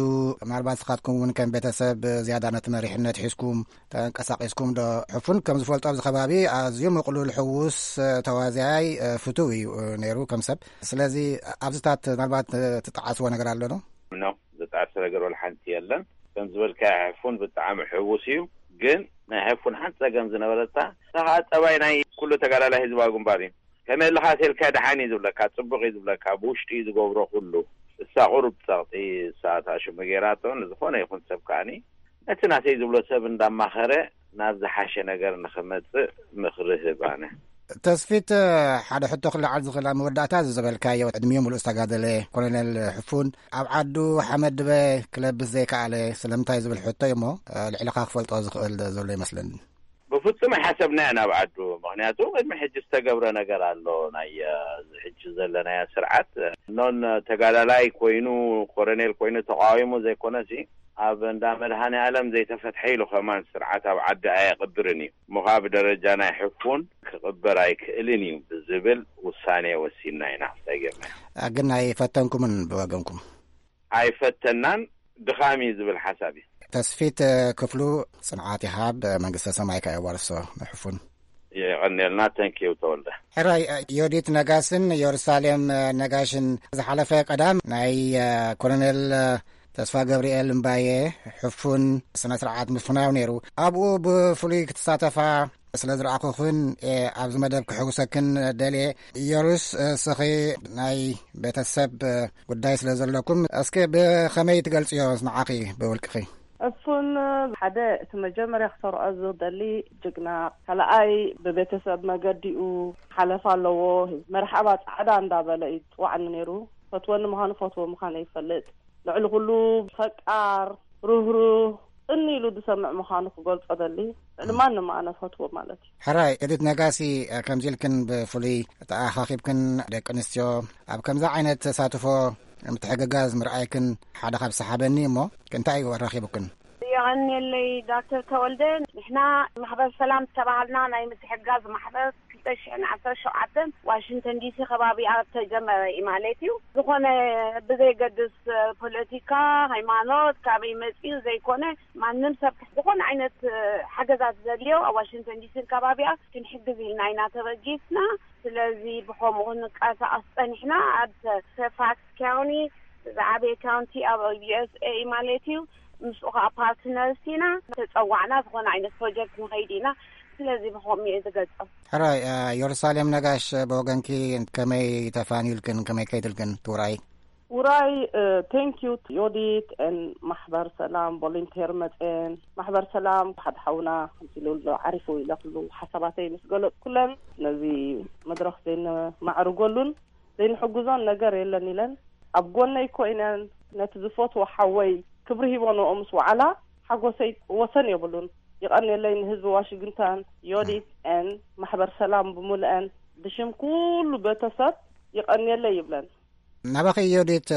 ምናልባት ስኻትኩም እውን ከም ቤተሰብ ዝያዳ ነቲ መሪሕነት ሒዝኩም ተንቀሳቒስኩም ዶ? ሕፉን ከም ዝፈልጦ ኣብዚ ከባቢ ኣዝዩ ምቕሉል፣ ሕዉስ፣ ተዋዚያይ፣ ፍቱው እዩ ነይሩ ከም ሰብ። ስለዚ ኣብዚታት ምናልባት ትጠዓስዎ ነገር ኣሎ ዶ? ኖ፣ ዝጠዓስ ነገር ወላ ሓንቲ የለን። ከም ዝበልካ ሕፉን ብጣዕሚ ሕዉስ እዩ። ግን ናይ ሕፉን ሓንቲ ጸገም ዝነበረታ፣ እታ ኸኣ ጸባይ ናይ ኩሉ ተጋዳላይ ህዝባዊ ግንባር እዩ። ከመይ ኣለኻ ተልካ ደሓን እዩ ዝብለካ፣ ጽቡቕ እዩ ዝብለካ፣ ብውሽጢ እዩ ዝገብሮ ኩሉ። እሳ ቁሩብ ጸቕጢ እሳ እታ ሽሙ ገይራቶ፣ ንዝኾነ ይኹን ሰብ ከኣኒ ነቲ ናተይ ዝብሎ ሰብ እንዳማኸረ ናብ ዝሓሸ ነገር ንኽመጽእ ምኽሪ ህብ ኣነ። ተስፊት፣ ሓደ ሕቶ ክለዓል ዝኽእል ኣብ መወዳእታ እዚ ዝበልካዮ ዕድሚኡ ምሉእ ዝተጋደለ ኮሎኔል ሕፉን ኣብ ዓዱ ሓመድ ድበ ክለብስ ዘይከኣለ ስለምንታይ ዝብል ሕቶ እዩ እሞ፣ ልዕልኻ ክፈልጦ ዝኽእል ዘሎ ይመስለኒ። ብፍጹም ኣይሓሰብናዮ ናብ ዓዱ። ምኽንያቱ ቅድሚ ሕጂ ዝተገብረ ነገር ኣሎ። ናይ፣ እ፣ እዚ ሕጂ ዘለናዮ ስርዓት፣ እ፣ ኖን ተጋዳላይ ኮይኑ፣ ኮረኔል ኮይኑ ተቃዊሙ ዘይኮነሲ፣ ኣብ እንዳ መድሃኔ ዓለም ዘይተፈትሐ ኢሉ ከማን ስርዓት ኣብ ዓዲ ኣየቕብርን እዩ። እሞ ኸኣ ብደረጃ ናይ ሕፉን ክቕበር ኣይክእልን እዩ ብዝብል ውሳኔ ወሲንና ኢና። እንታይ ጌርና? ግን ኣይፈተንኩምን ብወገንኩም? ኣይፈተናን፣ ድኻም እዩ ዝብል ሓሳብ እዩ። ተስፊት ክፍሉ፣ ጽንዓት ይሃብ፣ መንግስተ ሰማይ ከኣ የዋርሶ ንሕፉን። የቐንየልና። ተንኪዩ ተወልደ። ሕራይ፣ ዮዲት ነጋስን የሩሳሌም ነጋሽን ዝሓለፈ ቀዳም ናይ ኮሎኔል ተስፋ ገብርኤል እምባየ ሕፉን ስነ ስርዓት ምፍናው ነይሩ። ኣብኡ ብፍሉይ ክትሳተፋ ስለ ዝረኣኹኽን፣ እ፣ ኣብዚ መደብ ክሕጉሰክን ደልየ። ኢየሩስ፣ እ፣ ስኺ ናይ ቤተሰብ፣ እ፣ ጉዳይ ስለ ዘለኩም፣ እስኪ ብኸመይ ትገልጽዮ ንዓኺ ብውልቅኺ? እሱን ሓደ እቲ መጀመርያ ክሰርዖ ዝደሊ ጅግና፣ ካልኣይ ብቤተሰብ መገዲኡ ሓለፋ ኣለዎ። መርሓባ ጻዕዳ እንዳበለ እዩ ዝጽዋዕኒ ነይሩ። ፈትወኒ ምዃኑ ፈትዎ ምዃኑ ይፈልጥ። ልዕሊ ኩሉ ፈቃር፣ ርህሩህ፣ ጽን ኢሉ ዝሰምዕ ምዃኑ ክገልጾ ደሊ። ልዕሊ ማንም ኣነ ፈትዎ ማለት እዩ። ሕራይ፣ ኤዲት ነጋሲ፣ ከምዚ ኢልክን ብፍሉይ ተኣኻኺብክን ደቂ ኣንስትዮ ኣብ ከምዚ ዓይነት ተሳትፎ ምትሕግጋዝ ምርኣይክን ሓደ ካብ ሰሓበኒ እሞ፣ እንታይ እዩ ኣራኺቡክን? የቐንየለይ ዶክተር ተወልደ። ንሕና ማሕበር ሰላም ዝተባሃልና ናይ ምትሕግጋዝ ማሕበር ክልተ ሽሕን ዓሰርተ ሸውዓተን ዋሽንግተን ዲሲ ከባቢኣ ተጀመረ እዩ ማለት እዩ። ዝኾነ ብዘይገድስ ፖለቲካ፣ ሃይማኖት፣ ካበይ መፂኡ ዘይኮነ፣ ማንም ሰብ ዝኾነ ዓይነት ሓገዛት ዘድልዮ ኣብ ዋሽንግተን ዲሲን ከባቢኣ ክንሕግዝ ኢልና ኢና ተበጊስና። ስለዚ ብኸምኡ ክንቀሳቐስ ጸኒሕና። ኣብ ፌርፋክስ ካውንቲ፣ ዝዓበየ ካውንቲ ኣብ ዩ ኤስ ኤ ማለት እዩ። ምስኡ ከዓ ፓርትነርስ ኢና። ተጸዋዕና፣ ዝኾነ ዓይነት ፕሮጀክት ንኸይድ ኢና። ስለዚ ብኸምኡ እየ ዝገልጾ። ሕራይ፣ እ፣ የሩሳሌም ነጋሽ፣ ብወገንኪ ከመይ ተፋንዩልክን፣ ከመይ ከይድልክን ትውራይ? ውራይ፣ እ፣ ቴንክ ዩ ዮዲት ኤን ማሕበር ሰላም ቮለንቴር መጽኤን። ማሕበር ሰላም ሓደ ሓውና ከምዚ ኢሉ ኣሎ፣ ዓሪፉ ኢለ ኩሉ ሓሳባተይ ምስ ገለጽኩለን፣ ነዚ መድረኽ ዘይነማዕርገሉን ዘይንሕግዞን ነገር የለን ኢለን ኣብ ጎነይ ኮይነን ነቲ ዝፈትዎ ሓወይ ክብሪ ሂቦንኦ ምስ ወዓላ ሓጎሰይ ወሰን የብሉን። ይቐንየለይ ንህዝቢ ዋሽንግተን፣ ዮዲት ኤን ማሕበር ሰላም ብምልአን ብሽም ኩሉ ቤተሰብ ይቐንየለይ ይብለን። ናባኺ ዮዲት፣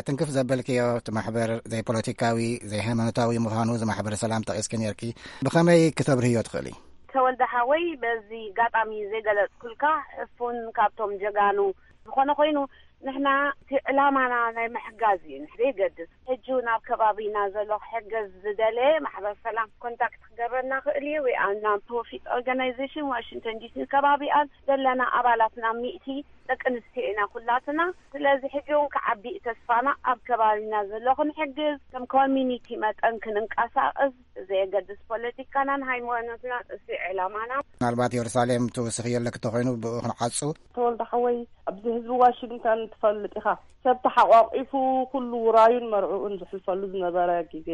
ትንክፍ ዘበልክዮ እቲ ማሕበር ዘይፖለቲካዊ፣ ዘይሃይማኖታዊ ምዃኑ እዚ ማሕበር ሰላም ጠቒስኪ ነርኪ። ብኸመይ ክተብርህዮ ትኽእሊ? ተወልደ ሓወይ፣ በዚ ኣጋጣሚ ዘይገለጽኩልካ፣ ሕፉን ካብቶም ጀጋኑ ዝኾነ ኮይኑ፣ ንሕና እቲ ዕላማና ናይ ምሕጋዝ እዩ። ንሕ-፣ ዘይገድስ ሕጂ እውን ኣብ ከባቢና ዘሎ ክሕገዝ ዝደለየ ማሕበር ሰላም ኮንታክት ክገብረና ክእል እዩ። ወይ ኣብ ናን ፕሮፊት ኦርጋናይዜሽን ዋሽንግተን ዲሲን ከባቢኣን ዘለና ኣባላት ናብ ሚእቲ ደቂ ኣንስትዮ ኢና ኩላትና። ስለዚ ሕጂ እውን ክዓቢ እዩ ተስፋና፣ ኣብ ከባቢና ዘሎ ክንሕግዝ፣ ከም ኮሚኒቲ መጠን ክንንቀሳቐስ፣ ዘየገድስ ፖለቲካናን ሃይማኖትና፣ እሱ ዕላማና። ምናልባት የሩሳሌም ትውስኽዮ ኣለኪ ተኾይኑ ብኡ ክንዓጹ። ተወልደ ሓወይ፣ ኣብዚ ህዝቢ ዋሽንግተን ትፈልጥ ኢኻ፣ ሰብ ተሓቋቂፉ ኩሉ ውራዩን መርዕኡን ዝሕልፈሉ ዝነበረ ግዜ፣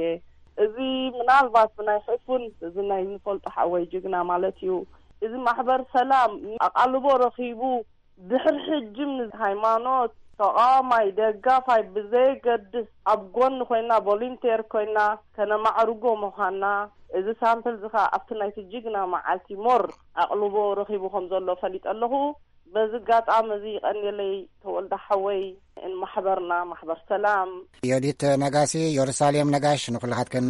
እዚ ምናልባት ብናይ ሕፉን፣ እዚ ናይ ንፈልጦ ሓወይ ጅግና ማለት እዩ፣ እዚ ማሕበር ሰላም ኣቓልቦ ረኺቡ ድሕሪ ሕጂ ንሃይማኖት ተቓዋማይ ደጋፋይ ብዘየገድስ ኣብ ጎኒ ኮይና ቮሊንቴር ኮይና ከነማዕርጎ ምዃንና፣ እዚ ሳምፕል እዚ ኸኣ ኣብቲ ናይቲ ጅግና መዓልቲ ሞር ኣቕልቦ ረኺቡ ከም ዘሎ ፈሊጠ ኣለኹ። በዚ ኣጋጣሚ እዚ ይቐንየለይ ተወልደ ሓወይ፣ ማሕበርና ማሕበር ሰላም። ዮዲት ነጋሲ፣ የሩሳሌም ነጋሽ፣ ንኩልኻትክን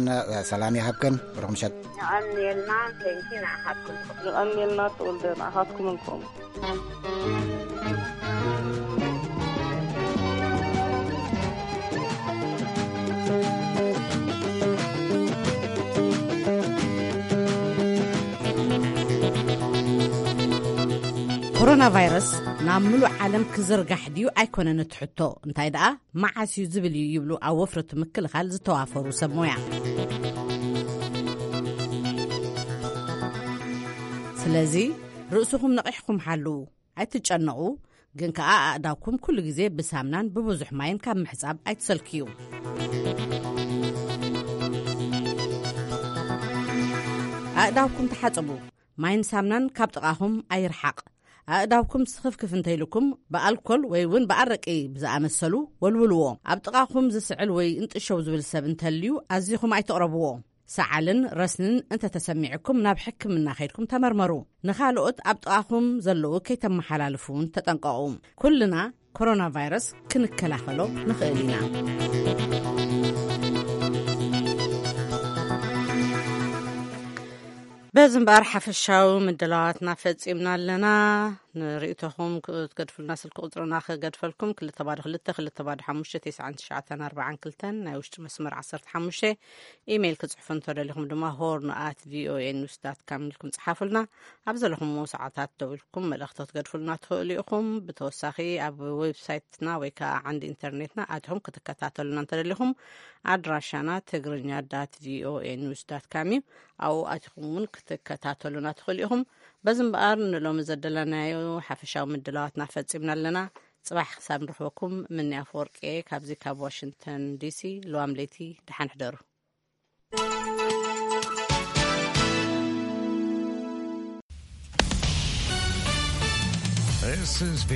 ሰላም ይሃብክን። ብሩኽ ምሸት። የቐንየልና፣ ቴንኪ ንዓኻትኩም። ይቐንየልና ተወልደ፣ ንዓኻትኩም እንኮም። ኮሮና ቫይረስ ናብ ምሉእ ዓለም ክዝርጋሕ ድዩ ኣይኮነን እቲ ሕቶ፣ እንታይ ደኣ መዓስ እዩ ዝብል እዩ ይብሉ ኣብ ወፍሪ እቲ ምክልኻል ዝተዋፈሩ ሰብ ሞያ። ስለዚ ርእስኹም ነቒሕኩም ሓልዉ። ኣይትጨነቑ፣ ግን ከኣ ኣእዳውኩም ኩሉ ግዜ ብሳምናን ብብዙሕ ማይን ካብ ምሕጻብ ኣይትሰልክዩ። ኣእዳውኩም ተሓጸቡ። ማይን ሳምናን ካብ ጥቓኹም ኣይርሓቕ። ኣእዳውኩም ስኽፍክፍ እንተኢልኩም ብኣልኮል ወይ እውን ብኣረቂ ብዝኣመሰሉ ወልውልዎ። ኣብ ጥቓኹም ዝስዕል ወይ እንጥሸው ዝብል ሰብ እንተልዩ ኣዚኹም ኣይትቕረብዎ። ሰዓልን ረስንን እንተተሰሚዕኩም ናብ ሕክምና ከይድኩም ተመርመሩ። ንኻልኦት ኣብ ጥቓኹም ዘለዉ ከይተመሓላልፉ እውን ተጠንቀቑ። ኩልና ኮሮና ቫይረስ ክንከላኸሎ ንኽእል ኢና። በዚ እምበኣር ሓፈሻዊ ምድላዋትና ፈጺምና ኣለና። ንርእይቶኹም ክትገድፉልና ስልኪ ቁጽርና ክገድፈልኩም፣ ክልተ ባዶ ክልተ፣ ክልተ ባዶ ሓሙሽተ፣ ተስዓን ትሽዓተን ኣርባዓን ክልተን፣ ናይ ውሽጢ መስመር ዓሰርተ ሓሙሽተ። ኢሜይል ክጽሕፉ እንተደሊኹም ድማ ሆርን ኣት ቪኦኤ ኒውስ ዳት ካም ኢልኩም ጽሓፉልና። ኣብ ዘለኹምዎ ሰዓታት ደው ኢልኩም መልእኽቲ ክትገድፉልና ትኽእሉ ኢኹም። ብተወሳኺ ኣብ ዌብሳይትና ወይ ከኣ ዓንዲ ኢንተርኔትና ኣቲኹም ክትከታተሉና እንተደሊኹም ኣድራሻና ትግርኛ ዳት ቪኦኤ ኒውስ ዳት ካም እዩ። ኣብኡ ኣቲኹም እውን ክትከታተሉና ትኽእሉ ኢኹም። በዚ እምበኣር ንሎሚ ዘደለናዮ ሓፈሻዊ ምድላዋትና ፈጺምና ኣለና። ጽባሕ ክሳብ ንረኽበኩም ምንያ ኣፈወርቂ እየ ካብዚ ካብ ዋሽንግተን ዲሲ። ልዋም ለይቲ ደሓን ሕደሩ። This is